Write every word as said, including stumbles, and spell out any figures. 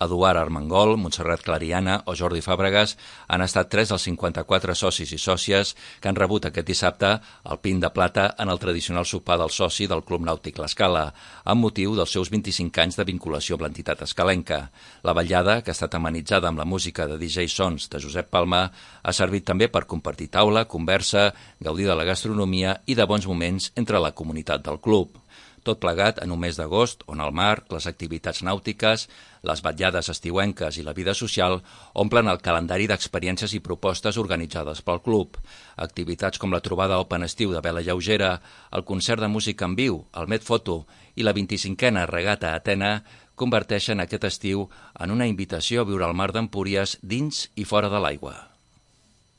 Eduard Armengol, Montserrat Clariana o Jordi Fàbregas han estat tres dels cinquanta-quatre socis i sòcies que han rebut aquest dissabte el pin de plata en el tradicional sopar del soci del Club Nàutic L'Escala, amb motiu dels seus vint-i-cinc anys de vinculació amb l'entitat escalenca. La vetllada, que ha estat amenitzada amb la música de D J Sons de Josep Palma, ha servit també per compartir taula, conversa, gaudir de la gastronomia i de bons moments entre la comunitat del club. Tot plegat en un mes d'agost on el mar, les activitats nàutiques, les vetllades estiuenques i la vida social omplen el calendari d'experiències i propostes organitzades pel club. Activitats com la trobada Open Estiu de vela lleugera, el concert de música en viu, el Medfoto i la vint-i-cinquena regata a Atena converteixen aquest estiu en una invitació a viure el mar d'Empúries dins i fora de l'aigua.